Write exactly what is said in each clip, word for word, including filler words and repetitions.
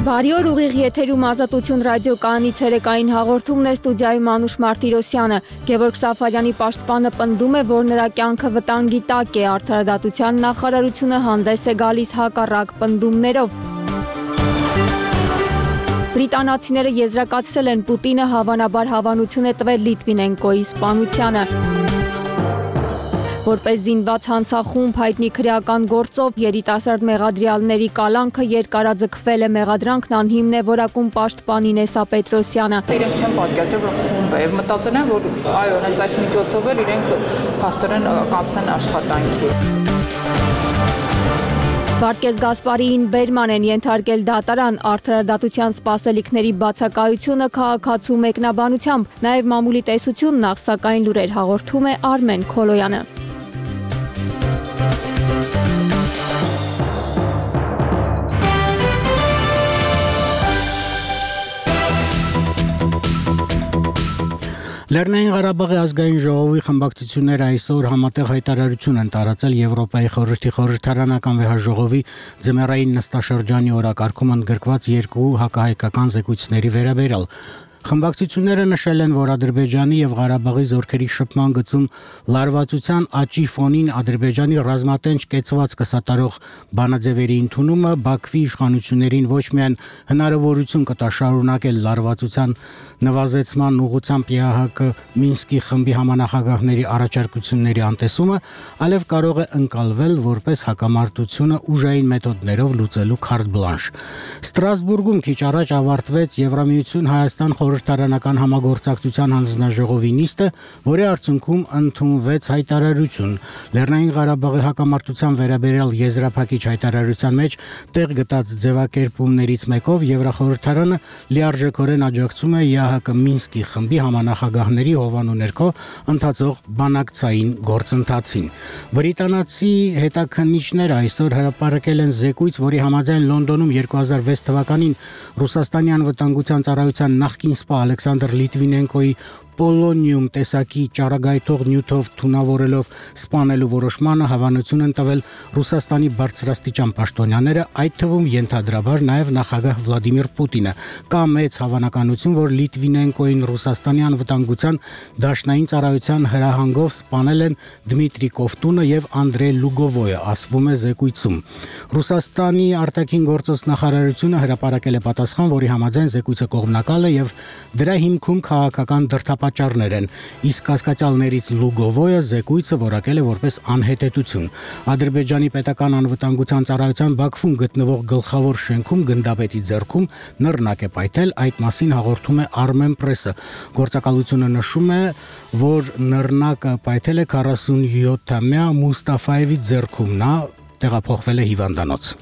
Բարի օր, ուղիղ եթերում Ազատություն ռադիոկայանի ցերեկային հաղորդումն է, ստուդիայում Անուշ Մարտիրոսյանը։ Գևորգ Սաֆարյանի պաշտպանը պնդում է, որ նրա կյանքը վտանգի տակ է, Արդարադատության նախարարությունը հանդես է գալիս հակառակ պնդումներով։ Բրիտանացիները եզրակացրել են, Պուտինը հավանաբար հավանություն է տվել Լիտվինենկոյի սպանությանը։ Որպես զինված հանցախումբ հայտնի քրեական գործով երիտասարդ մեղադրյալների կալանքը երկարաձգվել է, մեղադրանքն անհիմն է որակում պաշտպանի Նեսա Պետրոսյանը։ Իրենք չեն պատկերացրել, որ խումբ է, եւ մտածել են, որ այո, հենց այս միջոցով էլ իրենք փաստորեն կանցնեն աշխատանքի։ Վարդգես Գասպարիին Բերման են ենթարկել դատարան, արդարադատության սպասելիքների բացակայությունը քաղաքացու մեկնաբանությամբ, նաև մամուլի տեսություն նախ, սակայն լուրեր հաղորդում է Արմեն Քոլոյանը։ Լեռնային Ղարաբաղի ազգային ժողովի խմբակցությունները այսօր համատեղ հայտարարություն են տարածել Եվրոպայի խորհրդի խորհրդարանական վեհաժողովի ձմեռային նստաշրջանի օրակարգում ընդգրկված երկու հակահայկական զեկույցների վերաբերյալ։ Խմբակցությունները նշել են, որ Ադրբեջանի եւ Ղարաբաղի զորքերի շփման գծում լարվածության աճի ֆոնին Ադրբեջանի ռազմատենչ կեցվածքը սատարող բանաձևերի ընդունումը Բաքվի իշխանություններին ոչ միայն հնարավորություն կտա շարունակել լարվածության նվազեցման ուղղությամբ ԵԱՀԿ Մինսկի խմբի համանախագահների առաջարկությունների անտեսումը, այլև կարող է ընկալվել որպես հակամարտությունը ուժային մեթոդներով լուծելու քարտ բլանշ։ Ստրասբուրգում քիչ առաջ ավարտվեց Եվրամիություն Հայաստան խորհրդարանական համագործակցության հանձնաժողովի նիստը, որի արդյունքում ընդունվեց հայտարարություն։ Լեռնային Ղարաբաղի հակամարտության վերաբերյալ եզրափակիչ հայտարարության մեջ տեղ գտած ձևակերպումներից մեկով Եվրախորհրդարանը լիարժեքորեն աջակցում է ԵԱՀԿ Մինսկի խմբի համանախագահների հովանու ներքո ընթացող բանակցային գործընթացին։ Բրիտանացի հետաքննիչները այսօր հրապարակել են զեկույց, որի համաձայն Լոնդոնում երկու հազար վեց թվականին Ռուսաստանի անվտանգության ծառայության նախկին սպա Ալեքսանդր Լիտվինենկոյի Պոլոնիում տեսակի ճառագայթող նյութով թունավորելով սպանելու որոշմանը հավանություն են տվել Ռուսաստանի բարձրաստիճան պաշտոնյաները, այդ թվում ենթադրաբար նաև նախագահ Վլադիմիր Պուտինը։ Կա մեծ հավանականություն, որ Լիտվինենկոյին Ռուսաստանի անվտանգության դաշնային ծառայության հրահանգով սպանել են Դմիտրի Կովտունը եւ Անդրեյ Լուգովոյը, ասվում է զեկույցում։ Ռուսաստանի արտաքին գործոս նախարարությունը հրապարակել է պատասխան, որի համաձայն զեկույցը կողմնակալ է եւ դրա հիմքում քաղաքական դրդապատճառներ են, իսկ կասկածյալներից Լուգովոյը զեկույցը որակել է որպես անհետեցություն։ Ադրբեջանի պետական անվտանգության ծառայության Բաքվում գտնվող գլխավոր շենքում գնդապետի ձեռքում նռնակ է պայթել, այդ մասին հաղորդում է Armen Press-ը։ Գործակալությունը նշում է, որ նռնակը պայթել է քառասունյոթամյա Մուստաֆայևի ձեռքում, նա տեղափոխվել է հիվանդանոց։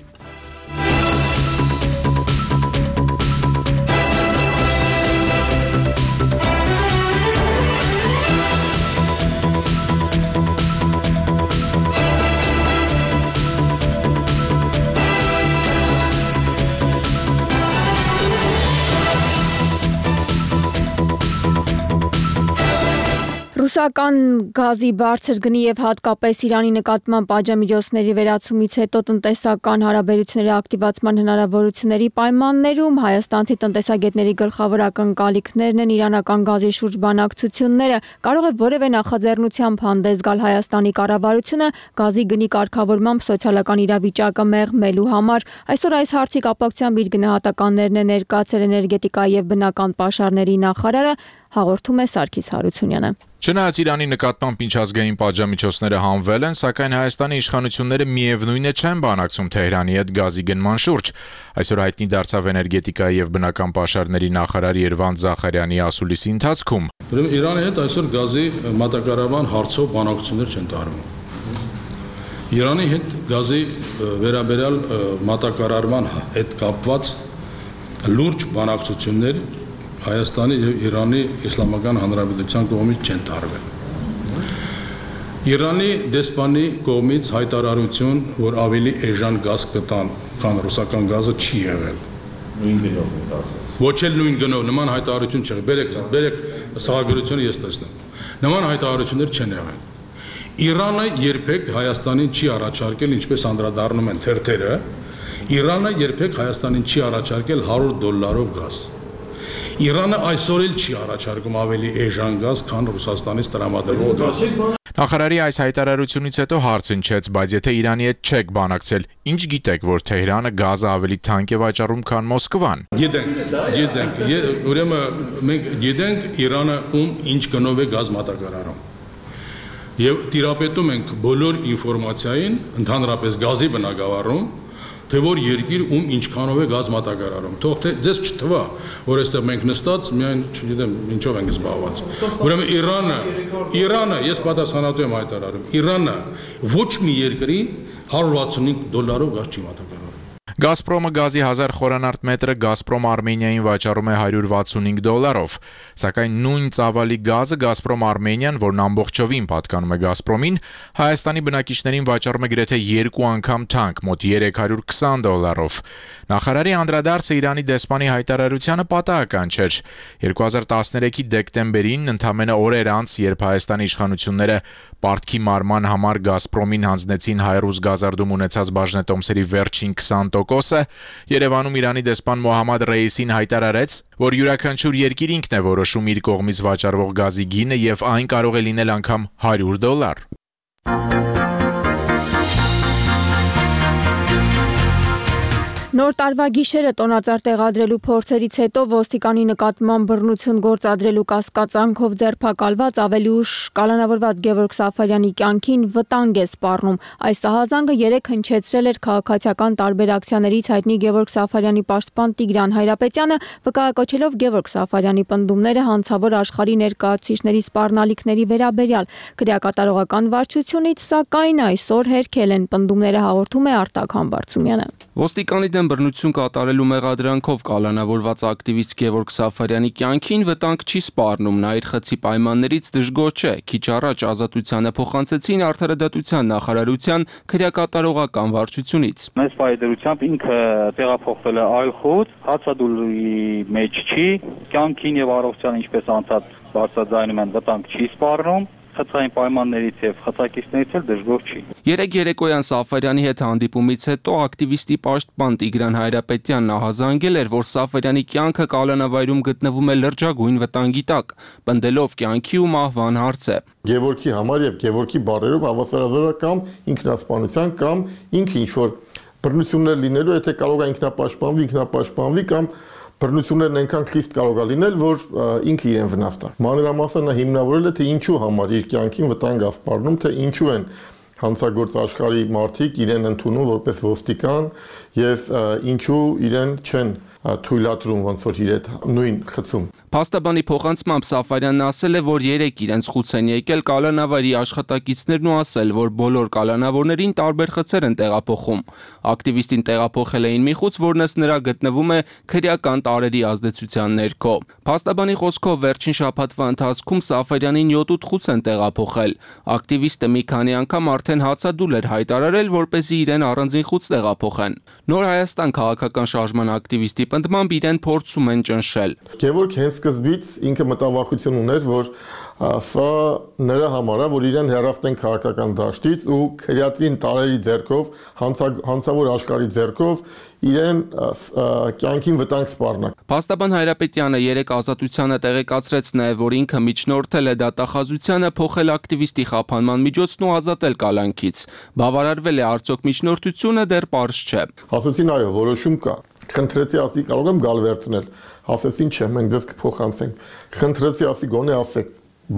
Ռուսական գազի բարձր գնի եւ հատկապես Իրանի նկատմամբ պատժամիջոցների վերացումից հետո տնտեսական հարաբերությունների ակտիվացման հնարավորությունների պայմաններում հայաստանցի տնտեսագետների գլխավոր ակնկալիքներն են իրանական գազի շուրջ բանակցությունները։ Կարող է որևէ նախաձեռնությամբ հանդես գալ Հայաստանի կառավարությունը գազի գնի կարգավորմամբ սոցիալական իրավիճակը մեղմելու համար։ Այսօր այս հարցի կապակցությամբ իր գնահատականներն է ներկայացրել էներգետիկայի եւ բնական պաշարների նախարարը, հաղորդում է Սարգիս Հարությունյանը։ Չնայած Իրանի նկատմամբ միջազգային պատժամիջոցները հանվել են, սակայն Հայաստանի իշխանությունները միևնույն է չեն բանակցում Թեհրանի հետ գազի գնման շուրջ։ Այսօր հայտնի դարձավ էներգետիկայի եւ բնական պաշարների նախարար Երվանդ Զախարյանի ասուլիսի ընթացքում։ Ուրեմն Իրանի հետ այսօր գազի մատակարարման հարցով բանակցություններ չեն տարվում։ Իրանի հետ գազի վերաբերյալ մատակարարման հետ կապված լուրջ բանակցություններ Հայաստանի եւ Իրանի Իսլամական Հանրապետության կողմից չեն տարվել։ Իրանի դեսպանի կողմից հայտարարություն, որ ավելի էժան գազ կտան, քան ռուսական գազը չի եղել։ Նույն գնով ասած։ Ոչ էլ նույն գնով, նման հայտարարություն չեղել։ Բերեք, բերեք սահագրությունը ես տեսնեմ։ Նման հայտարարություններ չեն եղել։ Իրանը երբեք Հայաստանին չի առաջարկել, ինչպես անդրադառնում են թերթերը, Իրանը երբեք Հայաստանին չի առաջարկել հարյուր դոլարով գազ։ Իրանը այսօր էլ չի առաջարկում ավելի էժան գազ, քան Ռուսաստանից տրամադրվող գազը։ Նախարարի այս հայտարարությունից հետո հարց հնչեց, բայց եթե Իրանի հետ չեք բանակցել, ինչ գիտեք, որ Թեհրանը գազը ավելի թանկ է վաճառում, քան Մոսկվան։ Գիտենք, գիտենք, ուրեմն մենք գիտենք Իրանը ում ինչ գնով է գազ մատակարարում։ Եվ տիրապետում ենք բոլոր ինֆորմացիային, ընդհանրապես գազի բնագավառում, թե որ երկիր ում ինչքանով է գազ մատակարարում։ Թող թե ձեզ չթվա, որ այստեղ մենք նստած միայն, չգիտեմ, ինչով ենք զբաղված։ Ուրեմն Իրանը, Իրանը, ես պատասխանատու եմ հայտարարում, Իրանը ոչ մի երկրի հարյուր վաթսունհինգ դոլարով գազ չի մատակարարում։ Գազպրոմը գազի հազար խորանարդ մետրը Գազպրոմ Արմենիային վաճառում է հարյուր վաթսունհինգ դոլարով, սակայն նույն ծավալի գազը Գազպրոմ Արմենիան, որն ամբողջովին պատկանում է Գազպրոմին, Հայաստանի բնակիչներին վաճառում է գրեթե երկու անգամ թանկ, մոտ երեք հարյուր քսան դոլարով։ Նախարարի անդրադարձը Իրանի դեսպանի հայտարարությանը պատահական չէր։ երկու հազար տասներեքի դեկտեմբերին, ընդամենը օրեր անց, երբ Հայաստանի իշխանությունները պարտքի մարման համար Գազպրոմին հանձնեցին Հայրուզ գազարդում ունեցած բաժնետոմսերի վերջին քսան տոկոսը, Երևանում Իրանի դեսպան Մոհամմադ Ռեյիսին հայտարարեց, որ յուրաքանչյուր երկիր ինքն է որոշում իր կողմից վաճառվող գազի գինը եւ այն կարող է լինել անգամ հարյուր դոլար։ Նոր տարվա գիշերը տոնածառ տեղադրելու փորձերից հետո ոստիկանի նկատմամբ բռնություն գործադրելու կասկածանքով ձերբակալված ավելի ուշ կալանավորված Գևորգ Սաֆարյանի կյանքին վտանգ է սպառնում։ Այս ահազանգը երեկ հնչեցրել էր քաղաքացիական տարբեր ակցիաներից հայտնի Գևորգ Սաֆարյանի պաշտպան Տիգրան Հայրապետյանը, վկայակոչելով Գևորգ Սաֆարյանի պնդումները հանցավոր աշխարհի ներկայացուցիչների սպառնալիքների վերաբերյալ։ Քրեակատարողական վարչությունից, սակայն, այսօր հերքել են պնդումները, հաղորդում է Արտակ Համբարձումյանը։ Ոստիկանի դեմ բռնություն կատարելու մեղադրանքով կալանավորված ակտիվիստ Գևորգ Սաֆարյանի կյանքին վտանգ չի սպառնում, նա իր խցի պայմաններից դժգոհ չէ։ Քիչ առաջ Ազատությանը փոխանցեցին Արդարադատության նախարարության քրեակատարողական վարչությունից։ Մեծ պայդրությամբ ինքը տեղափոխվել է այլ խոտ, հացադուլի մեջ չի, կյանքին եւ առողջության ինչպես անցած բարձրաձայնում են վտանգ չի սպառնում։ Խցային պայմաններից եւ խցակիցներից էլ դժգոհ չի։ Երեք երեկոյան Սաֆարյանի հետ հանդիպումից հետո ակտիվիստի պաշտպան Տիգրան Հայրապետյանն ահազանգել էր, որ Սաֆարյանի կյանքը կալանավայրում գտնվում է լրջագույն վտանգի տակ, պնդելով կյանքի ու մահվան հարցը։ Գևորգի համար եւ Գևորգի բարերով հավասարազորական ինքնասպանության կամ ինքը ինչ որ բռնություններ լինելու, եթե կարող է ինքնապաշտպանվի, ինքնապաշտպանվի կամ բռնություններն այնքան խիստ կարող է լինել, որ ինքը իրեն վնասდა։ Մանրամասն նա հիմնավորել է, թե ինչու համար իր կյանքին վտանգ է սպառնում, թե ինչու են հանցագործ աշխարհի մարդիկ իրեն ընդունում որպես ոստիկան եւ ինչու իրեն չեն թույլատրում ոնց որ իր այդ նույն խցում։ Փաստաբանի փոխանցմամբ Սաֆարյանն ասել է, որ երեք իրենց խուց են եկել կալանավարի աշխատակիցներն ու ասել, որ բոլոր կալանավորներին տարբեր խցեր են տեղափոխում։ Ակտիվիստին տեղափոխել էին մի խուց, որն ըստ նրա գտնվում է քրեական տարերի ազդեցության ներքո։ Փաստաբանի խոսքով վերջին շաբաթվա ընթացքում Սաֆարյանին յոթ խուց են տեղափոխել։ Ակտիվիստը մի քանի անգամ արդեն հացադուլ էր հայտարարել, որպեսզի իրեն առանձին խուց տեղափոխեն։ Նոր Հայաստան քաղաքական շարժման ակտիվիստի պնդմամբ իրեն փորձում են ճնշել։ Գևորգ հենց սկզբից ինքը մտավախություն ուներ, որ սա նրա համար է, որ իրեն հեռացնեն քաղաքական դաշտից ու քրեատին տարերի ձեռքով, հանցավոր աշխարհի ձեռքով իրեն կյանքին վտանգ սպառնա։ Փաստաբան Հայրապետյանը երեք Ազատությանը տեղեկացրեց նաև, որ ինքը միջնորդել է դատախազությանը փոխել ակտիվիստի խափանման միջոցն ու ազատել կալանքից։ Բավարարվել է արդյոք միջնորդությունը, դեռ պարզ չէ։ Ասացին այո, որոշում կա։ Խնդրեցի ասի կարող եմ գալ վերցնել։ Ասեցին չէ, մենք դες կփոխանցենք։ Խնդրեցի ասի գոնե ասեք,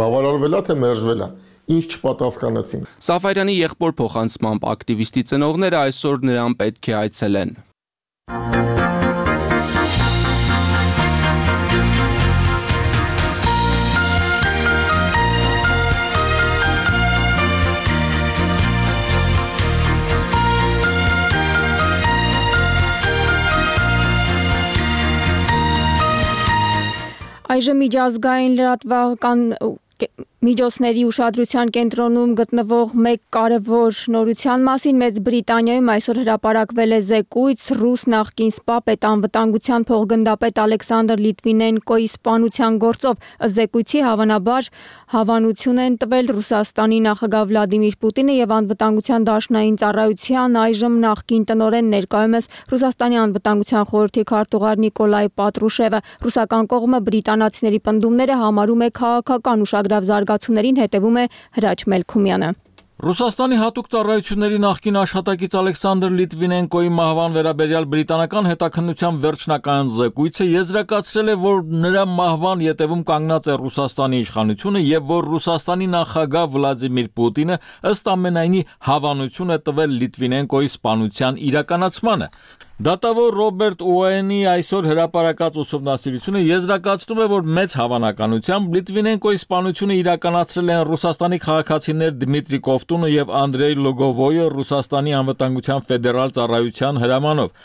բավարարվել է թե մերժվել է։ Ինչ չպատասխանեցին։ Սաֆարյանի եղբոր փոխանցմամբ ակտիվիստի ծնողները այսօր նրան պետք է այցելեն։ Այժմ միջազգային լրատվական Միջոցների ուշադրության կենտրոնում գտնվող մեկ կարևոր նորության մասին Մեծ Բրիտանիայում այսօր հրապարակվել է զեկույց ռուս նախկին սպա պետանվտանգության փոխգնդապետ Ալեքսանդր Լիտվինենկոյի սպանության գործով։ Ըստ զեկույցի հավանաբար հավանություն են տվել Ռուսաստանի նախագահ Վլադիմիր Պուտինը եւ անվտանգության դաշնային ծառայության այժմ նախկին տնօրեն ներկայումս Ռուսաստանի անվտանգության խորհրդի քարտուղար Նիկոլայ Պատրուշևը։ Ռուսական կողմը բրիտանացիների պնդումները համարում է քաղաքական ուշագրավ զարգացումներին, հետևում է Հրաչ Մելքումյանը։ Ռուսաստանի հատուկ ծառայությունների նախկին աշխատակից Ալեքսանդր Լիտվինենկոյի մահվան վերաբերյալ բրիտանական հետաքննության վերջնական զեկույցը եզրակացրել է, որ նրա մահվան ետևում կանգնած է Ռուսաստանի իշխանությունը եւ որ Ռուսաստանի նախագահ Վլադիմիր Պուտինը ըստ ամենայնի հավանություն է տվել Լիտվինենկոյի սպանության իրականացմանը։ Դատավոր Ռոբերտ Ուոենի այսօր հրապարակած ուսումնասիրությունը եզրակացնում է, որ մեծ հավանականությամբ Լիտվինենկոյի սպանությունը իրականացրել են Ռուսաստանի քաղաքացիներ Դմիտրի Կովտունը եւ Անդրեյ Լոգովոյը Ռուսաստանի անվտանգության ֆեդերալ ծառայության հրամանով։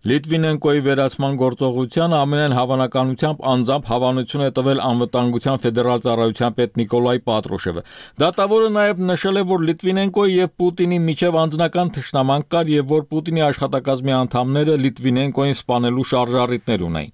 Լիտվինենկոյի վերացման գործողության ամենայն հավանականությամբ անձամբ հավանություն է տվել անվտանգության ֆեդերալ ծառայության պետ Նիկոլայ Պատրուշևը։ Դատավորը նաև նշել է, որ Լիտվինենկոյի եւ Պուտինի միջև անձնական թշնամանք կար եւ որ Պուտինի աշխատակազմի անդամները Լիտվինենկոյին սպանելու շարժառիթներ ունեին։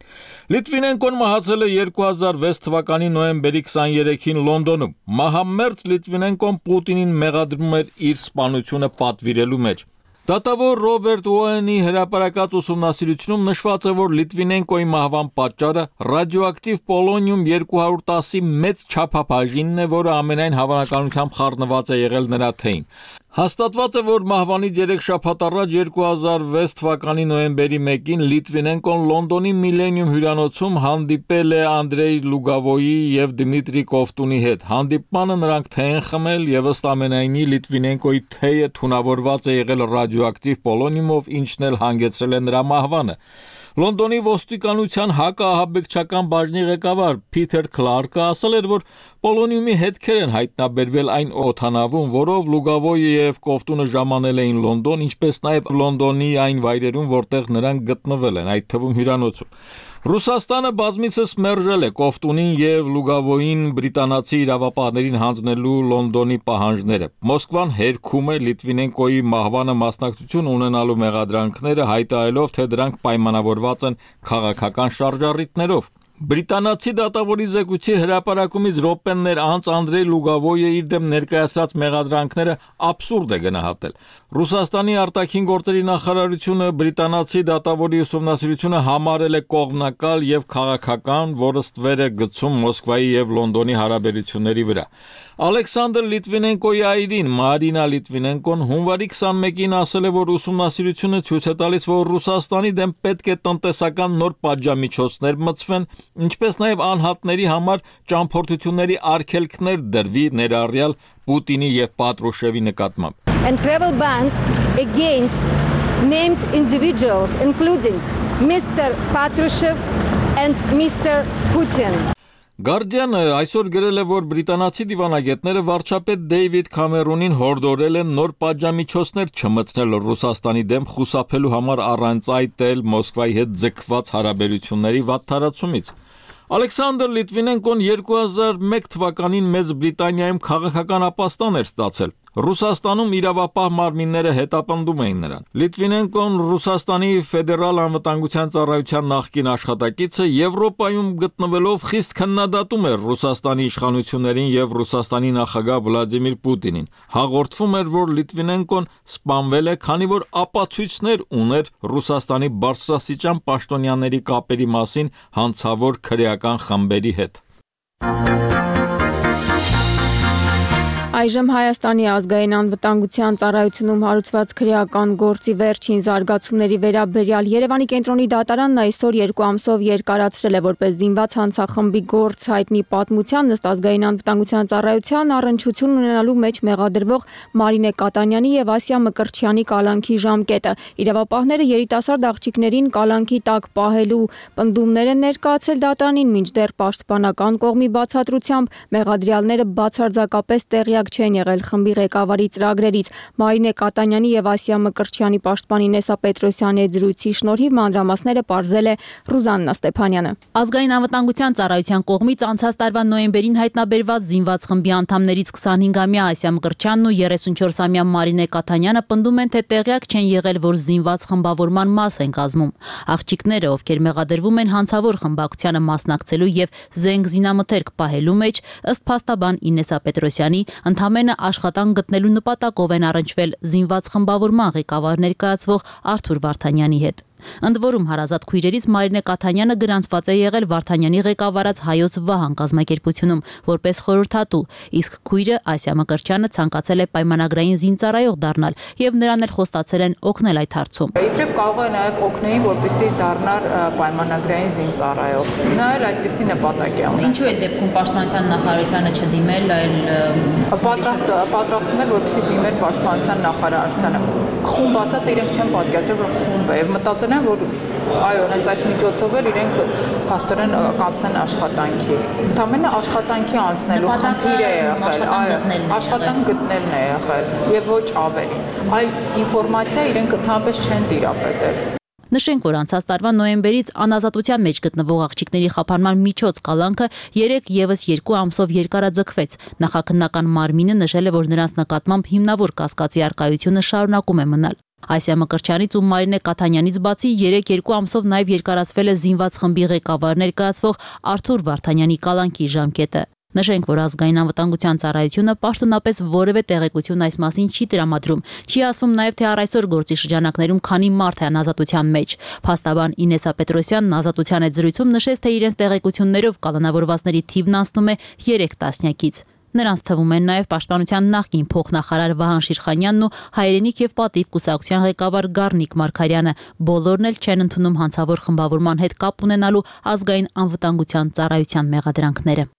Լիտվինենկոն մահացել է երկու հազար վեց թվականի նոյեմբերի քսաներեքին Լոնդոնում։ Մահամերձ Լիտվինենկոն Պուտինին մեղադրում էր իր սպանությունը պատվիրելու մեջ։ Դատավոր Ռոբերտ Ուոենի հրապարակած ուսումնասիրությունում նշված է, որ Լիտվինենկոյի մահվան պատճառը ռադիոակտիվ պոլոնիում երկու հարյուր տասի մեծ չափաբաժինն է, որը ամենայն հավանականությամբ խառնված է եղել նրա թեյին։ Հաստատված է, որ մահվանից երեք շաբաթ առաջ երկու հազար վեց թվականի նոյեմբերի մեկին Լիտվինենկոն Լոնդոնի Միլենիում հյուրանոցում հանդիպել է Անդրեյ Լուգավոյի եւ Դմիտրի Կովտունի հետ։ Հանդիպմանը նրանք թեյ են խմել եւ ըստ ամենայնի Լիտվինենկոյի թեյը թունավորված է եղել ռադիոակտիվ պոլոնիումով, ինչն էլ հանգեցրել է նրա մահվանը։ Լոնդոնի ոստիկանության հակաահաբեկչական բաժնի ղեկավար Փիթեր Քլարկը ասել էր, որ պոլոնիումի հետքեր են հայտնաբերվել այն օդանավում, որով Լուգավոյը եւ Կովտունը ժամանել էին Լոնդոն, ինչպես նաեւ Լոնդոնի այն վայրերում, որտեղ նրանք գտնվել են, այդ թվում հյուրանոցում։ Ռուսաստանը բազմիցս մերժել է Կովտունին եւ Լուգավոյին բրիտանացի իրավապահներին հանձնելու Լոնդոնի պահանջները։ Մոսկվան հերքում է Լիտվինենկոյի մահվանը մասնակցություն ունենալու մեղադրանքները, հայտարարելով, թե դրանք պայմանավորված են քաղաքական շարժառիթներով։ Բրիտանացի դատավորի զեկույցի հրապարակումից րոպեներ անց Անդրեյ Լուգավոյը իր դեմ ներկայացրած մեղադրանքները աբսուրդ է գնահատել։ Ռուսաստանի արտաքին գործերի նախարարությունը բրիտանացի դատավորի ուսումնասիրությունը համարել է կողմնակալ եւ քաղաքական, որը ստվեր է գցում Մոսկվայի եւ Լոնդոնի հարաբերությունների վրա։ Ալեքսանդր Լիտվինենկոյի այրին Մարինա Լիտվինենկոն հունվարի քսանմեկին ասել է, որ ուսումնասիրությունը ցույց է տալիս, որ Ռուսաստանի դեմ պետք է տնտեսական նոր պատժամիջոցներ մտցվեն, ինչպես նաև անհատների համար ճամփորդությունների արգելքներ դրվի, ներառյալ Պուտինի եւ Պատրուշևի նկատմամբ։ And travel bans against named individuals including Mister Patrushev and Mister Putin. Guardian-ը այսօր գրել է, որ բրիտանացի դիվանագետները վարչապետ Դեյվիդ Քամերոնին հորդորել են նոր պատժամիջոցներ չմտցնել Ռուսաստանի դեմ խուսափելու համար առանց այդ էլ Մոսկվայի հետ ձգված հարաբերությունների վատթարացումից։ Ալեքսանդր Լիտվինենկոն երկու հազար մեկ թվականին Մեծ Բրիտանիայում քաղաքական ապաստան էր ստացել։ Ռուսաստանում իրավապահ մարմինները հետապնդում էին նրան։ Լիտվինենկոն Ռուսաստանի ֆեդերալ անվտանգության ծառայության նախկին աշխատակիցը Եվրոպայում գտնվելով խիստ քննադատում էր Ռուսաստանի իշխանություններին եւ Ռուսաստանի նախագահ Վլադիմիր Պուտինին։ Հաղորդվում էր, որ Լիտվինենկոն սպանվել է, քանի որ ապացույցներ ուներ Ռուսաստանի բարձրաստիճան պաշտոնյաների կապերի մասին հանցավոր քրեական խմբերի հետ։ Այժմ Հայաստանի ազգային անվտանգության ծառայությունում հարուցված քրեական գործի վերջին զարգացումների վերաբերյալ Երևանի կենտրոնի դատարանն այսօր երկու ամսով երկարացրել է որպես զինված հանցախմբի գործ հայտնի պատմության ըստ ազգային անվտանգության ծառայության առնչություն ունենալու մեջ մեղադրվող Մարինե Կատանյանի եւ Ասիա Մկրտչյանի կալանքի ժամկետը։ Իրավապահները երիտասարդ աղջիկներին կալանքի տակ պահելու պնդումներ են ներկայացրել դատարանին, մինչդեռ պաշտպանական կողմի բացատրությամբ մեղադրյալները բացարձակապես տեղյակ տեղյակ չեն եղել խմբի ղեկավարի ծրագրերից։ Մարինե Կատանյանի եւ Ասիա Մկրտչյանի պաշտպան Ինեսա Պետրոսյանի հետ զրույցի շնորհիվ մանրամասները պարզել է Ռուզաննա Ստեփանյանը։ Ազգային անվտանգության ծառայության կողմից անցած տարվա նոյեմբերին հայտնաբերված զինված խմբի անդամներից քսանհինգամյա Ասիա Մկրտչյանն ու երեսունչորսամյա Մարինե Կատանյանը պնդում են, թե տեղյակ չեն եղել, որ զինված խմբավորման մաս են կազմում։ Աղջիկները, ովքեր մեղադրվում են հանցավոր խմբակցությանը մասնակցելու եւ զենք զինամթերք պահելու մեջ, ըստ փաստաբան Ինեսա Պետրոսյանի, ընդամենը աշխատանք գտնելու նպատակով են առնչվել զինված խմբավորման ղեկավար ներկայացվող Արթուր Վարդանյանի հետ։ Ընդ որում հարազատ քույրերից Մարինե Կաթանյանը գրանցված է եղել Վարդանյանի ղեկավարած Հայոց Վահան կազմակերպությունում որպես խորհրդատու, իսկ քույրը Ասիա Մկրտչյանը ցանկացել է պայմանագրային զինծառայող դառնալ եւ նրան էլ խոստացել են օգնել այդ հարցում։ Իբրև կարող է նաեւ օգնել, որպեսզի դառնար պայմանագրային զինծառայող։ Նա էլ այդպիսի նպատակ է ունեցել։ Ինչու է դեպքում պաշտպանության նախարարությանը չդիմել, այլ պատրաստ պատրաստվում էր, որպեսզի դիմեր պաշտպանության նախարարությանը։ Խումբ ասած իրենք չեն պատկերացրել, որ խումբ է, մտածել են, որ այո, հենց այս միջոցով էլ իրենք փաստորեն կանցնեն աշխատանքի։ Ընդամենը աշխատանքի անցնելու խնդիր է եղել, այո, աշխատանք գտնելն է եղել եւ ոչ ավելին։ Այլ ինֆորմացիա իրենք ընդհանրապես չեն տիրապետել։ Նշենք, որ անցած տարվա նոյեմբերից անազատության մեջ գտնվող աղջիկների խափանման միջոց կալանքը երեք եւս երկու ամսով երկարաձգվեց։ Նախաքննական մարմինը նշել է, որ նրանց նկատմամբ հիմնավոր կասկածի առկայությունը շարունակում է մնալ։ Ասիա Մկրտչյանից ու Մարինե Կաթանյանից բացի երեք երկու ամսով նաև երկարացվել է զինված խմբի ղեկավար ներկայացվող Արթուր Վարդանյանի կալանքի ժամկետը։ Նշենք, որ ազգային անվտանգության ծառայությունը պաշտոնապես որևէ տեղեկություն այս մասին չի տրամադրում։ Չի ասվում նաև, թե առ այսօր գործի շրջանակներում քանի մարդ է անազատության մեջ։ Փաստաբան Ինեսա Պետրոսյանն ազատության հետ զրույցում նշեց, թե իրենց տեղեկություններով կալանավորվածների թիվն անցնում է երեք տասնյակից։ Նրանց թվում են նաև պաշտպանության նախկին փոխնախարար Վահան Շիրխանյանն ու հայրենիք եւ պատիվ կուսակցության ղեկավար Գառնիկ Մարգարյանը։ Բոլորն էլ չեն ընդունում հանցավոր խմբավորման հետ կապ ունենալու ազգային անվտանգության ծառայության մեղադրանքները։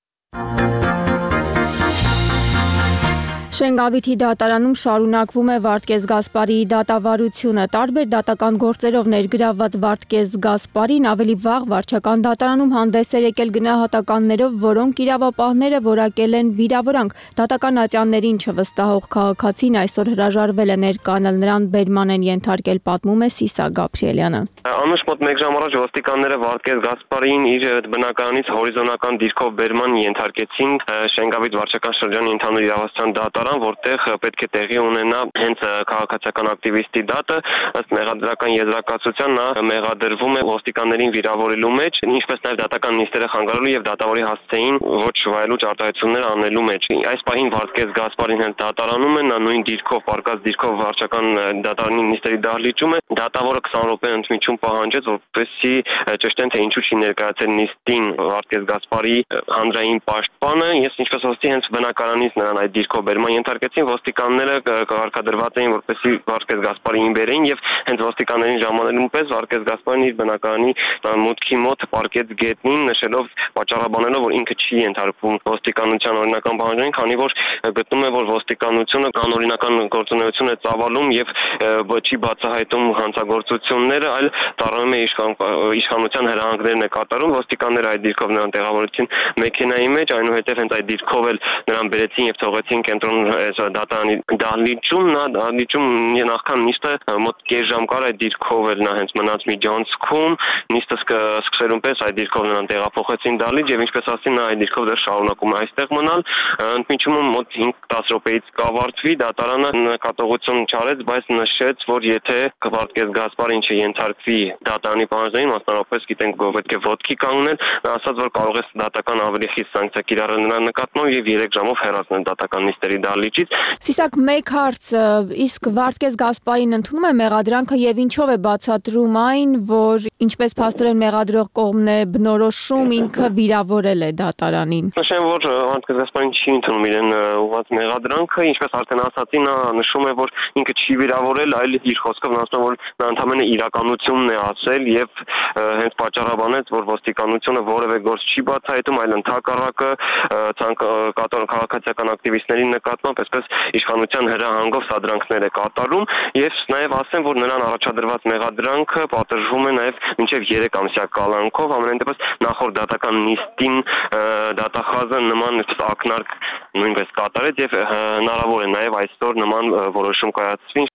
Շենգավիթի դատարանում շարունակվում է Վարդգես Գասպարիի դատավարությունը։ Տարբեր դատական գործերով ներգրավված Վարդգես Գասպարին ավելի վաղ վարչական դատարանում հանդես էր եկել գնահատականներով, որոնք իրավապահները որակել են վիրավորանք։ Դատական ատյաններին չվստահող քաղաքացին այսօր հրաժարվել է ներկանալ, նրան բերման են ենթարկել, պատմում է Սիսա Գաբրիելյանը։ Անուշ մոտ մեկ ժամ առաջ ոստիկանները Վարդգես Գասպարիին իր բնակարանից հորիզոնական դիրքով բերման ենթարկեցին Շենգավիթ վարչական շրջանի ընդհանուր իրավասության դատարան, որտեղ պետք է տեղի ունենա հենց քաղաքացիական ակտիվիստի դատը, ըստ մեղադրական եզրակացության նա մեղադրվում է ոստիկաններին վիրավորելու մեջ, ինչպես նաև դատական նիստերը խանգարելու եւ դատավորի հասցեին ոչ վայելուչ արտահայտություններ անելու մեջ։ Այս պահին Վարդգես Գասպարին հենց դատարանում է, նա նույն դիրքով, պարկած դիրքով վարչական դատարանի նիստերի դահլիճում է։ Դատավորը քսան րոպե ընդմիջում պահանջեց, որպեսզի ճշտեն, թե ինչու չի ներկայացել նիստին Վարդգես Գասպարիի հանրային պաշտպանը։ Ես ինչպես ասացի, հենց բնակարանից նրան այդ դիրքով բերման ենթարկեցին, ոստիկանները կարգադրված էին, որպեսզի Վարդգես Գասպարիին բերեին եւ հենց ոստիկաններին ժամանելուն պես Վարդգես Գասպարին իր բնակարանի մուտքի մոտ պարկեց գետնին, նշելով, պատճառաբանելով, որ ինքը չի ենթարկվում ոստիկանության օրինական պահանջներին, քանի որ գտնում է, որ ոստիկանությունը անօրինական գործունեություն է ծավալում եւ չի բացահայտում հանցագործությունները, այլ ծառայում է իշխանության հրահանգներն է կատարում։ Ոստիկանները այդ դիրքով նրան տեղավորեցին մեքենայի մեջ, այնուհետև հենց այդ դիրքով էլ նրան բերեցին եւ թողեցին կենտրոն դատարանի դահլիճում։ Նա դահլիճում նախքան նիստը մոտ կես ժամ կար այդ դիրքով էլ նա հենց մնաց միջանցքում, նիստը սկսելուն պես այդ դիրքով նրան տեղափոխեցին դահլիճ եւ ինչպես ասացի, նա այդ դիրքով դեռ շարունակում է այստեղ մնալ։ Ընդմիջումում մոտ հինգ-տասը րոպեից կավարտվի, դատարանը նկատողություն չարեց, բայց նշեց, որ եթե Վարդգես Գասպարին չենթարկվի դատարանի պահանջներին, մասնավորապես գիտենք, որ պետք է ոտքի կանգնել, նա ասաց, որ կարող է դատական ավելի խիստ սանկցիա կիրառել նրա նկատմամբ եւ երեք ժամով հեռացնել դատական նիստերի դահլիճից։ Սիսակ, մեկ հարց, իսկ Վարդգես Գասպարին ընդունում է մեղադրանքը եւ ինչով է բացատրում այն, որ ինչպես փաստորեն մեղադրող կողմն է բնորոշում, ինքը վիրավորել է դատարանին։ Նշեմ, որ Վարդգես Գասպարին չի ընդունում իրեն ուղղված մեղադրանքը, ինչպես արդեն ասացի, նա նշում է, որ ինքը չի վիրավորել, այլ իր խոսքով ասում է, որ նա ընդհանրապես իրականությունն է ասել եւ հենց պատճառաբանեց, որ ոստիկանությունը որևէ գործ չի բացահայտում, այլ ընդհակառակը կատարող քաղաքացիական ակտիվիստների նկատմամբ այսպես իշխանության հրահանգով սադրանքներ է կատարում եւ նաեւ ասեմ, որ նրան առաջադրված մեղադրանքը պատժվում է նաեւ մինչեւ երեք ամսյա կալանքով, ամենայն դեպս նախորդ դատական նիստին դատախազը նման ակնարկ նույնպես կատարեց եւ հնարավոր է նաեւ այսօր նման որոշում կայացվի։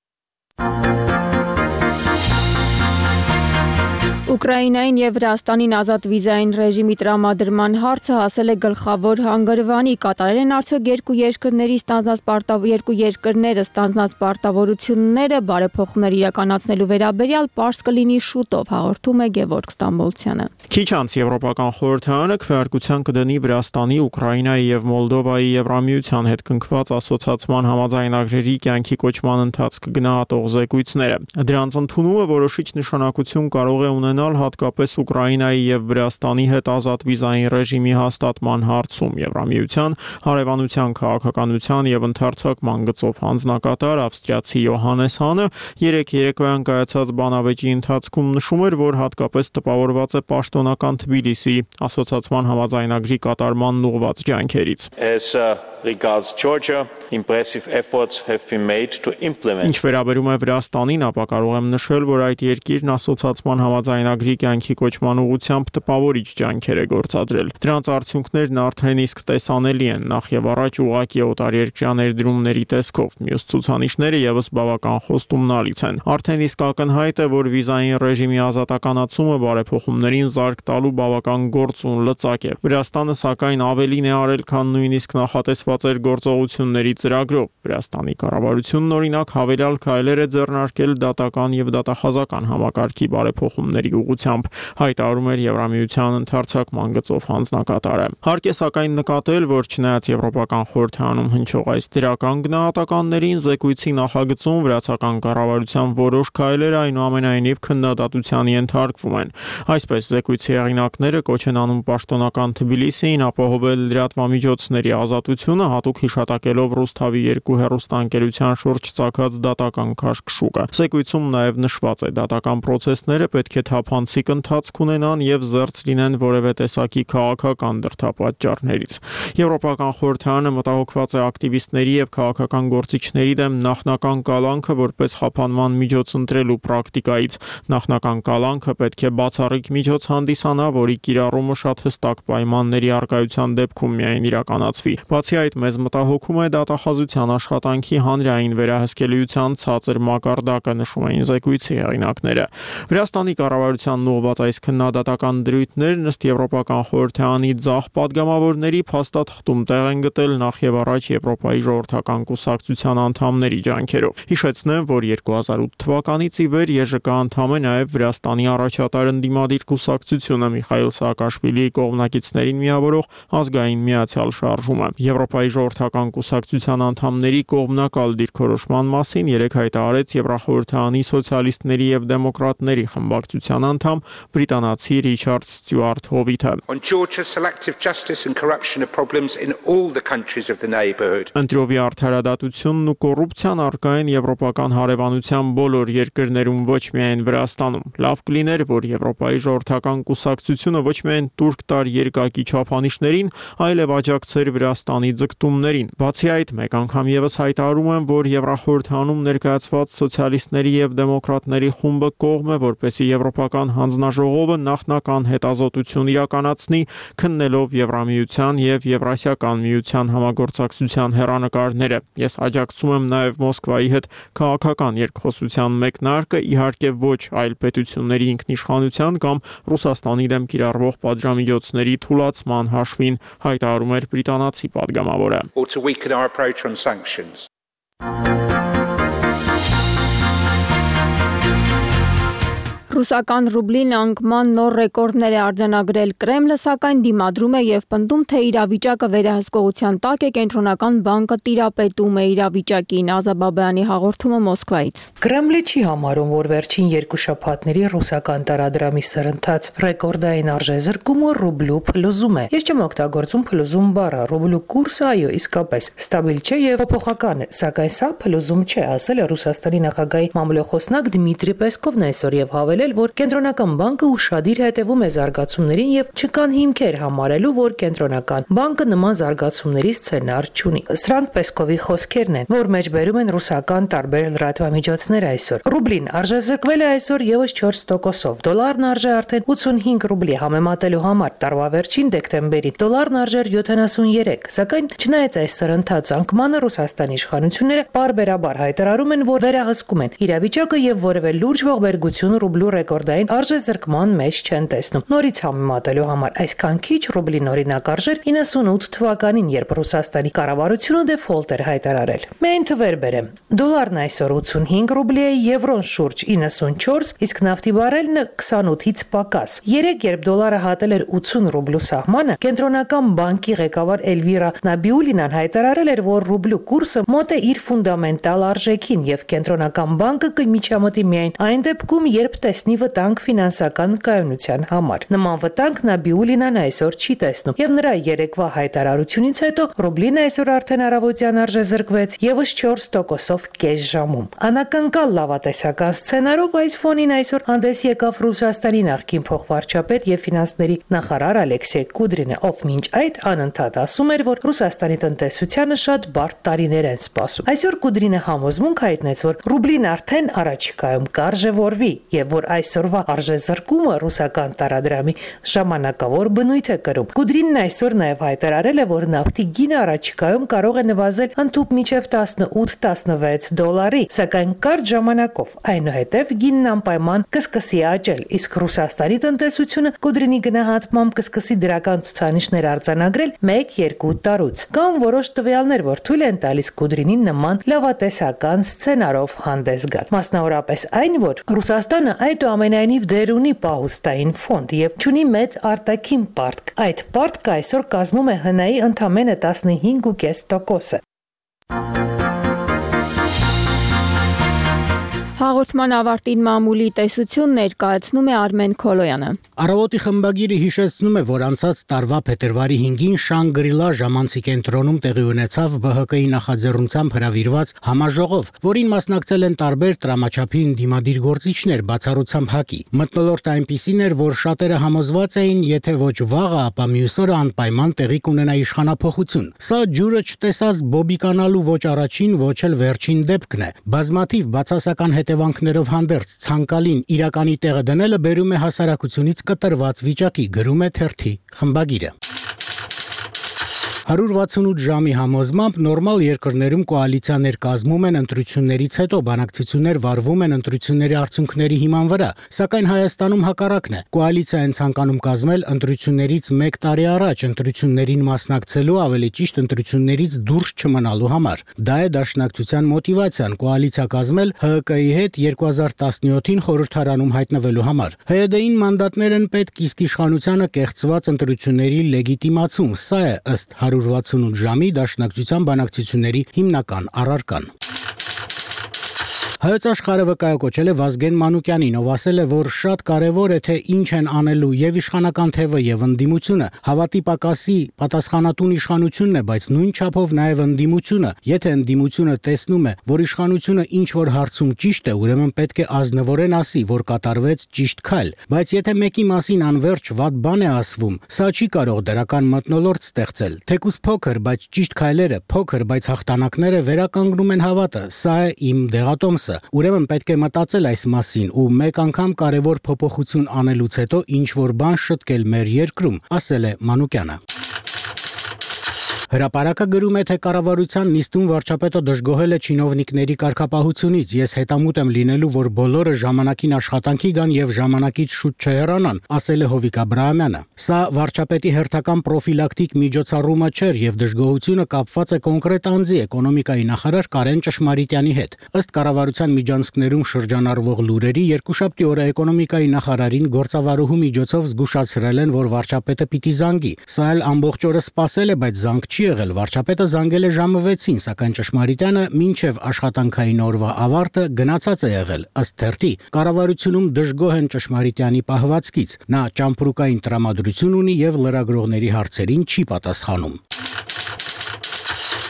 Ուկրաինային եւ Վրաստանին ազատ վիզային ռեժիմի տրամադրման հարցը հասել է գլխավոր հանգրվանի։ Կատարել են արդյոք երկու երկրների ստանձնած պարտավոր երկու երկրները ստանձնած պարտավորությունները բարեփոխումներ իրականացնելու վերաբերյալ պարզ կլինի շուտով, հաղորդում է Գևորգ Ստամբոլցյանը։ Քիչ անց Եվրոպական խորհրդարանը քվեարկության կդնի Վրաստանի, Ուկրաինայի եւ Մոլդովայի Եվրամիության հետ կնքված ասոցիացիան համաձայնագրերի կյանքի կոչման ընթացք գնահատող զեկույցները։ Դրանց ընդունումը որոշիչ նշանակություն կարող է ունենալ հատկապես Ուկրաինայի եւ Վրաստանի հետ ազատ վիզային ռեժիմի հաստատման հարցում։ Եվրամիության հարևանության քաղաքականության եւ ընդհանրացման գծով հանձնակատար ավստրիացի Յոհանես Հանը երեք երեկոյան կայացած բանավեճի ընթացքում նշում էր, որ հատկապես տպավորված է պաշտոնական Թբիլիսի ասոցիացիան համաձայնագրի կատարման ուղղված ջանքերից։ As uh, regards Georgia, impressive efforts have been made to implement. Ինչ վերաբերում է Վրաստանին, ապա կարող եմ նշել, որ այդ երկիրն ասոցիացիան համաձայնագրի կյանքի կոչման ուղղությամբ տպավորիչ ջանքեր է գործադրել։ Դրանց արդյունքներն արդեն իսկ տեսանելի են, նախ եւ առաջ ուղղակի օտարերկրյա ներդրումների տեսքով։ Մյուս ցուցանիշները եւս բավական խոստումնալից են։ Արդեն իսկ ակնհայտ է, որ վիզային ռեժիմի ազատականացումը բարեփոխումներին զարգ տալու բավական գործուն լծակ է։ Վրաստանը սակայն ավելին է արել, քան նույնիսկ նախատեսված էր գործողությունների ծրագրով։ Վրաստանի կառավարությունն օրինակ հավելյալ քայլեր է ձեռնարկել դատական եւ դատախազական համակարգի բարեփոխումների ուղղությամբ, հայտարարում էր Եվրամիության ընդհանրացման գծով հանձնակատարը։ Հարկ է սակայն նկատել, որ չնայած Եվրոպական խորհրդարանում հնչող այս դրական գնահատականներին, զեկույցի նախագծում վրացական կառավարության որոշ քայլեր այնուամենայնիվ քննադատության ենթարկվում են։ Այսպես զեկույցի հեղինակները կոչ են անում պաշտոնական Թբիլիսիին ապահովել լրատվամիջոցների ազատությունը, հատուկ հիշատակելով Ռուսթավի երկու հեռուստաընկերության շուրջ ծագած դատական քաշքշուկը։ Զեկույցում նաև նշված է, դատական process-ները պետք է թափանցիկ ընթացք ունենան եւ զերծ լինեն որևէ տեսակի քաղաքական դրդապատճառներից։ Եվրոպական խորհրդարանը մտահոգված է ակտիվիստների եւ քաղաքական գործիչների դեմ նախնական կալանքը որպես խափանման միջոց ընտրելու պրակտիկայից։ Նախնական կալանքը պետք է բացառիկ միջոց հանդիսանա, որի կիրառումը շատ հստակ պայմանների առկայության դեպքում միայն իրականացվի։ Բացի այդ, մեզ մտահոգում է դատախազության աշխատանքի հանրային վերահսկելիության ցածր մակարդակը, նշում էին զեկույցի հեղինակները։ Վրաստանի կառավարությանն ուղղված այս քննադատական դրույթներն ըստ Եվրոպական խորհրդարանի ձախ падգամավորների փաստաթղթում տեղ են գտել նախ եւ առաջ Եվրոպայի ժողովրդական կուսակցության անդամների ջանքերով։ Հիշեցնեմ, որ երկու հազար ութ թվականից ի վեր ԵԺԿ անդամ է նաեւ Վրաստանի առաջատար ընդդիմադիր կուսակցությունը Միխայիլ Սաակաշվիլիի կողմնակիցներին միավորող ազգային միացյալ շարժումը։ Եվրոպայի ժողովրդական կուսակցության անդամների կողմնակալ դիրքորոշման մասին երեկ հայտարարեց Եվրախորհրդարանի սոցիալիստների եւ դեմոկրատների խմբակցության անդամ բրիտանացի Ռիչարդ Ստյուարտ Հովիթը։ On Georgia, selective justice and corruption are problems in all the countries of the neighborhood. Ընտրովի արդարադատությունն ու կոռուպցիան առկա են եվրոպական հարևանության բոլոր երկրներում, ոչ միայն Վրաստանում։ Լավ կլիներ, որ Եվրոպայի ժողովրդական կուսակցությունը ոչ միայն տուրք տար երկակի չափանիշներին, այլև աջակցեր Վրաստանի ձգտումներին։ Բացի այդ, մեկ անգամ եւս հայտարարում եմ, որ Եվրախորհրդարանում ներկայացված սոցիալիստների եւ դեմոկրատների խումբը կողմ է, որպեսզի Եվրոպական հանձնաժողովը նախնական հետազոտություն իրականացնի, քննելով Եվրամիության եւ Եվրասիական միության համագործակցության հեռանկարները։ Ես աջակցում եմ նաեւ Մոսկվայի հետ քաղաքական երկխոսության մեկնարկը, իհարկե ոչ այլ պետությունների ինքնիշխանության կամ Ռուսաստանի դեմ կիրառվող պատժամիջոցների թուլացման հաշվին, հայտարարում էր բրիտանացի падգամավորը։ Or to weaken our approach on sanctions. Ռուսական ռուբլին անկման նոր ռեկորդներ է արձանագրել Կրեմլը, սակայն դիմադրում է եւ պնդում, թե իրավիճակը վերահսկողության տակ է, կենտրոնական բանկը տիրապետում է իրավիճակին։ Ազաբաբյանի հաղորդումը Մոսկվայից։ Կրեմլը չի համարում, որ վերջին երկու շաբաթների ռուսական տարադրամի սրընթաց ռեկորդային արժեզրկումը ռուբլու փլուզում է։ Ես չեմ օգտագործում փլուզում բառը, ռուբլու կուրսը այո, իսկապես ստաբիլ չէ եւ փոփոխական է, սակայն սա փլուզում չէ, ասել է Ռուսաստանի նախագահի մամլոյխոսնակ Դմիտրի Պեսկովն այսօր եւ հավելել, հայտարարել, որ կենտրոնական բանկը ուշադիր հետևում է զարգացումներին եւ չկան հիմքեր համարելու, որ կենտրոնական բանկը նման զարգացումների սցենար չունի։ Սրանք Պեսկովի խոսքերն են, որ մեջբերում են ռուսական տարբեր լրատվամիջոցներ այսօր։ Ռուբլին արժեզրկվել է այսօր եւս չորս տոկոսով։ Դոլարն արժե արդեն ութսունհինգ ռուբլի համեմատելու համար տարվա վերջին դեկտեմբերին դոլարն արժեր յոթանասունյերեք, սակայն չնայած այս սրընթաց անկմանը Ռուսաստանի իշխանությունները բարբերաբար հայտարարում են, որ վերահսկում են իրավիճակը եւ որևէ լուրջ ողբերգություն ռուբլու ռեկորդային արժեզրկման մեջ չեն տեսնում։ Նորից համեմատելու համար այսքան քիչ ռուբլին օրինակ արժեր իննսունութ թվականին, երբ Ռուսաստանի կառավարությունը դեֆոլտ էր հայտարարել։ Մեկ թվեր բերեմ։ Դոլարն այսօր ութսունհինգ ռուբլի է, եվրոն շուրջ իննսունչորս, իսկ նավթի բարելն քսանութից պակաս։ Երեք երբ դոլարը հատել էր ութսուն ռուբլու սահմանը, կենտրոնական բանկի ղեկավար Էլվիրա Նաբիուլինան հայտարարել էր, որ ռուբլու կուրսը մոտ է իր ֆունդամենտալ արժեքին եւ կենտրոնական բանկը կմիջամտի միայն այն դեպքում, երբ տեսնի վտանգ ֆինանսական կայունության համար։ Նման վտանգ Նաբիուլինան այսօր չի տեսնում եւ նրա երեկվա հայտարարությունից հետո ռուբլին այսօր արդեն առավոտյան արժեզրկվեց եւս չորս տոկոսով կես ժամում։ Անակնկալ լավատեսական սցենարով այս ֆոնին այսօր հանդես եկավ Ռուսաստանի նախկին փոխվարչապետ եւ ֆինանսների նախարար Ալեքսեյ Կուդրինը, ով մինչ այդ անընդհատ ասում էր, որ Ռուսաստանի տնտեսությանը շատ բարդ տարիներ են սպասում։ Այսօր Կուդրինը համոզմունք հայտնեց, որ ռուբլին արդեն առաջիկայում կարժևորվի եւ որ այսօրվա արժեզրկումը ռուսական տարադրամի ժամանակավոր բնույթ է կրում։ Կուդրինն այսօր նաեւ հայտարարել է, որ նավթի գինը առաջիկայում կարող է նվազել ընդհուպ մինչև տասնութ տասնվեց դոլարի, սակայն կարճ ժամանակով այնուհետև գինն անպայման կսկսի աճել, իսկ Ռուսաստանի տնտեսությունը Կուդրինի գնահատմամբ կսկսի դրական ցուցանիշներ արձանագրել մեկ-երկու տարուց։ Կան որոշ տվյալներ, որ թույլ են տալիս Կուդրինին նման լավատեսական սցենարով հանդես գալ։ Մասնավորապես այն, որ Ռուսաստանը այդուամենայնիվ դեր ունի պահուստային ֆոնդ եւ չունի մեծ արտաքին պարտք։ Այդ պարտքը այսօր կազմում է ՀՆ-ի ընդամենը տասնհինգ կես տոկոսը։ Հաղորդման ավարտին մամուլի տեսություն ներկայացնում է Արմեն Քոլոյանը։ Առավոտի խմբագիրը հիշեցնում է, որ անցած տարվա փետրվարի հինգին Շանգրիլա ժամանցի կենտրոնում տեղի ունեցավ ԲՀԿ-ի նախաձեռնությամբ հրավիրված համաժողով, որին մասնակցել են տարբեր տրամաչափի ընդդիմադիր գործիչներ, բացառությամբ ՀԱԿ-ի։ Մթնոլորտը այնպիսին էր, որ շատերը համոզված էին, եթե ոչ վաղը, ապա մյուս օրը անպայման տեղի կունենա իշխանափոխություն։ Սա ջուրը չտեսած բոբիկանալու ոչ առաջին, ոչ էլ վերջին դեպքն է։ Բազմաթիվ բացասական հետևանքներով հանդերձ ցանկալին իրականի տեղը դնելը բերում է հասարակությունից կտրված վիճակի, գրում է թերթի խմբագիրը։ հարյուր վաթսունութ ժամի համոզմամբ նորմալ երկրներում կոալիցիաներ կազմում են ընտրություններից հետո, բանակցություններ վարվում են ընտրությունների արդյունքների հիման վրա, սակայն Հայաստանում հակառակն է։ Կոալիցիա են ցանկանում կազմել ընտրություններից մեկ տարի առաջ, ընտրություններին մասնակցելու, ավելի ճիշտ ընտրություններից դուրս չմնալու համար։ Դա է դաշնակցության մոտիվացիան կոալիցիա կազմել ՀՀԿ-ի հետ երկու հազար տասնյոթին խորհրդարանում հայտնվելու համար։ ՀՅԴ-ին մանդատներ են պետք, իսկ իշխանությանը կեղծված ընտրությունների լեգիտիմացում։ Սա է ըստ հարյուր վաթսունութ ժամի դաշնակցության բանակցությունների հիմնական առարկան։ Հայոց աշխարհը վկայակոչել է Վազգեն Մանուկյանին, ով ասել է, որ շատ կարևոր է, թե ինչ են անելու եւ իշխանական թևը եւ ընդդիմությունը, հավատի պակասի պատասխանատուն իշխանությունն է, բայց նույն չափով նաեւ ընդդիմությունը, եթե ընդդիմությունը տեսնում է, որ իշխանությունը ինչ որ հարցում ճիշտ է, ուրեմն պետք է ազնվորեն ասի, որ կատարվեց ճիշտ քայլ, բայց եթե մեկի մասին անverջ վատ բան է ասվում, սա չի կարող դրական մթնոլորտ ստեղծել։ Թեկուզ փոքր, բայց ճիշտ քայլերը, փոքր, բայց հաղթանակները վերականգնում են հավատը։ Սա է իմ դեղատոմսը։ Ուրեմն պետք է մտածել այս մասին ու մեկ անգամ կարևոր փոփոխություն անելուց հետո ինչ որ բան շտկել մեր երկրում, ասել է Մանուկյանը։ Հրապարակը գրում է, թե կառավարության նիստում վարչապետը դժգոհել է չինովնիկների կարգապահությունից։ Ես հետամուտ եմ լինելու, որ բոլորը ժամանակին աշխատանքի գան եւ ժամանակից շուտ չհեռանան, ասել է Հովիկ Աբրահամյանը։ Սա վարչապետի հերթական պրոֆիլակտիկ միջոցառումը չէր եւ դժգոհությունը կապված է կոնկրետ անձի էկոնոմիկայի նախարար Կարեն Ճշմարիտյանի հետ։ Ըստ կառավարության միջանցքներում շրջանառվող լուրերի երկուշաբթի օրը էկոնոմիկայի նախարարին գործավարուհու միջոցով զգուշացրել են, որ վարչապետը պիտի զանգի։ Սա էլ ամբողջ օրը սպասել է, բայց զանգ չի եղել։ Վարչապետը զանգել է ժամը վեցին, սակայն Ճշմարիտյանը մինչև աշխատանքային օրվա ավարտը գնացած է եղել։ Ըստ թերթի, կառավարությունում դժգոհ են Ճշմարիտյանի պահվածքից։ Նա ճամփրուկային տրամադրություն ունի եւ լրագրողների հարցերին չի պատասխանում։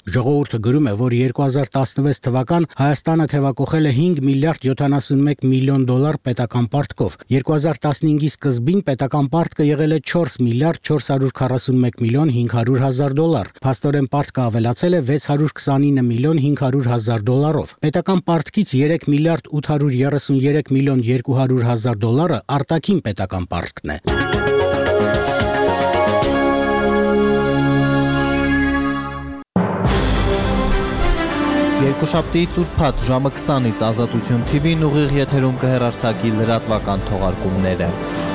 Ժողովուրդը գրում է, որ երկու հազար տասնվեց թվական Հայաստանը թևակողել է հինգ միլիարդ յոթանասունմեկ միլիոն դոլար պետական պարտքով։ երկու հազար տասնհինգի սկզբին պետական պարտքը եղել է չորս միլիարդ չորս հարյուր քառասունմեկ միլիոն հինգ հարյուր հազար դոլար։ Փաստորեն պարտքը ավելացել է վեց հարյուր քսանինը միլիոն հինգ հարյուր հազար դոլարով։ Պետական պարտքից երեք միլիարդ ութ հարյուր երեսունյերեք միլիոն երկու հարյուր հազար դոլարը արտաքին պետական պարտքն է։ Երկուշաբթիից ուրբաթ ժամը քսանից Ազատություն թի վին ուղիղ եթերում կհեռարձակի լրատվական թողարկումները։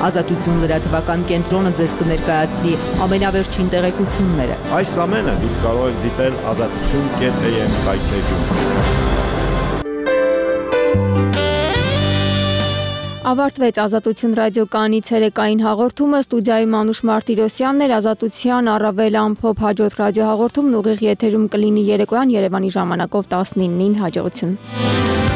Ազատություն լրատվական կենտրոնը ձեզ կներկայացնի ամենավերջին տեղեկությունները։ Այս ամենը դուք կարող եք դիտել ազատություն կետ է եմ կայքեջում։ Ավարտվեց Ազատություն ռադիոկայանի ցերեկային հաղորդումը, ստուդիայում Մանուշ Մարտիրոսյանն էր, Ազատության առավել ամփոփ հաջորդ ռադիոհաղորդումն ուղիղ եթերում կլինի երեկոյան Երևանի ժամանակով տասնինին, հաջողություն։